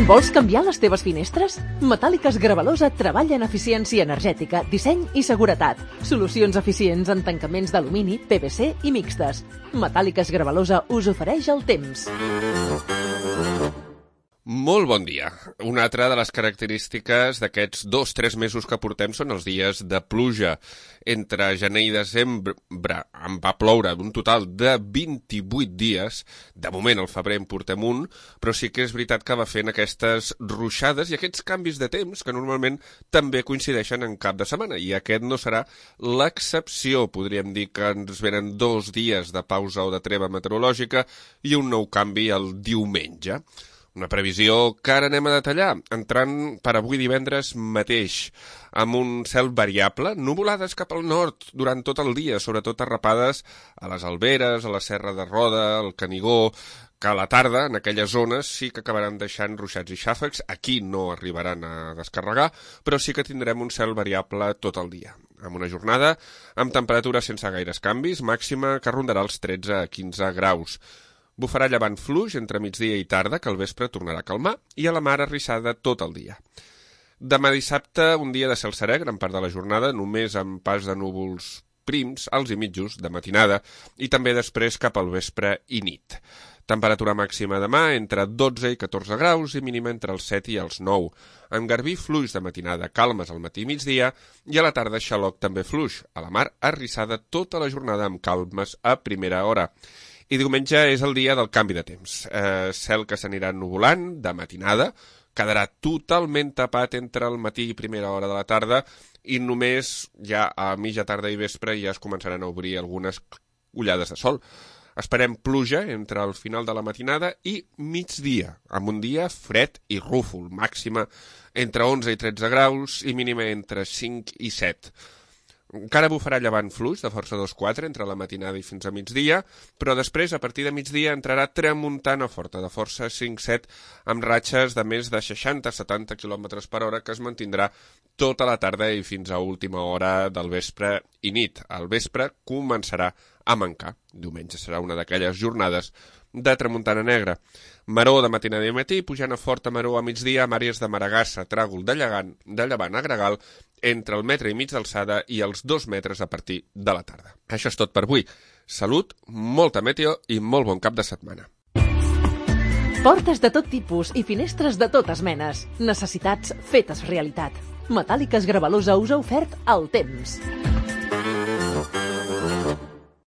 Vols canviar les teves finestres? Metàl·liques Gravalosa treballa en eficiència energètica, disseny i seguretat. Solucions eficients en tancaments d'alumini, PVC i mixtes. Metàl·liques Gravalosa us ofereix el temps. Molt bon dia. Una altra de les característiques d'aquests 2-3 mesos que portem són els dies de pluja. Entre gener i desembre en va ploure un total de 28 dies. De moment al febrer en portem un, però sí que és veritat que va fent aquestes ruixades i aquests canvis de temps que normalment també coincideixen en cap de setmana. I aquest no serà l'excepció. Podríem dir que ens venen 2 dies de pausa o de treva meteorològica i un nou canvi el diumenge. Una previsió que ara anem a detallar, entrant per avui divendres mateix, amb un cel variable, nuvolades cap al nord durant tot el dia, sobretot arrapades a les Alberes, a la Serra de Roda, al Canigó, que a la tarda, en aquelles zones, sí que acabaran deixant ruixats i xàfecs. Aquí no arribaran a descarregar, però sí que tindrem un cel variable tot el dia. Amb una jornada amb temperatures sense gaires canvis, màxima que rondarà els 13 a 15 graus. Bufarà llevant fluix entre migdia i tarda, que al vespre tornarà a calmar, i a la mar arrissada tot el dia. Demà dissabte, un dia de cel serè, gran part de la jornada, només amb pas de núvols prims, alts i mitjos, de matinada, i també després cap al vespre i nit. Temperatura màxima demà entre 12 i 14 graus i mínima entre els 7 i els 9. Amb garbí fluix de matinada, calmes al matí i migdia, i a la tarda xaloc també fluix. A la mar, arrissada tota la jornada amb calmes a primera hora. I diumenge és el dia del canvi de temps. Cel que s'anirà nuvolant de matinada, quedarà totalment tapat entre el matí i primera hora de la tarda i només ja a mitja tarda i vespre ja es començaran a obrir algunes ullades de sol. Esperem pluja entre el final de la matinada i migdia, amb un dia fred i rúfol, màxima entre 11 i 13 graus i mínima entre 5 i 7. Encara bufarà llevant fluix de força 2-4 entre la matinada i fins a migdia, però després, a partir de migdia, entrarà tramuntana forta de força 5-7 amb ratxes de més de 60-70 km per hora que es mantindrà tota la tarda i fins a última hora del vespre i nit. Al vespre començarà a mancar. Diumenge serà una d'aquelles jornades de tramuntana negra. Maror de matinada i matí, pujant a forta maror a migdia amb àrees de Maragassa, Tràgol, de Llevant a Gregal, entre el metre i mig d'alçada i els 2 metres a partir de la tarda. Això és tot per avui. Salut, molta meteo i molt bon cap de setmana. Portes de tot tipus i finestres de totes menes. Necessitats fetes realitat. Metàl·liques Gravalosa us ha ofert el temps.